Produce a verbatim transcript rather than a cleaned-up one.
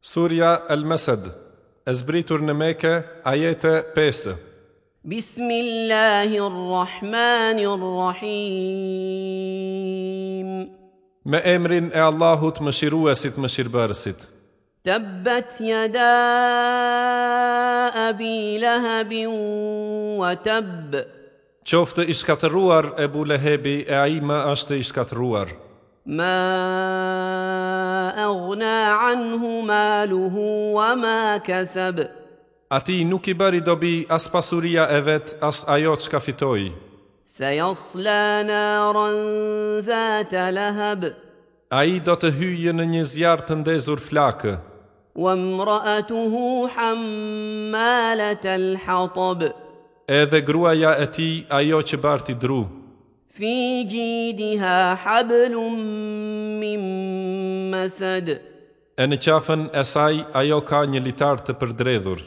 Surja El-Mesed, e zbritur në Mekë, ajete pesë. بسم الله الرحمن الرحيم. Me emrin e Allahut mëshiruesit mëshirbërësit. تبت يدا أبي لهب وتب. Qoftë i shkatërruar Ebu Lehebi e ai më është i shkatërruar. ما أغنى عنه ماله وما كسب. Ati nuk i bëri dobi as pasuria e vet, as ajo çka fitoi. سيصلى نارا ذات لهب. Ai do të hyjë në një zjarr të ndezur flakë. وامرأته حمالة الحطب. Edhe gruaja e tij, ajo që barti dru. في جيدها حبل من مسد. E në qafën e saj ajo ka një litar të përdredhur.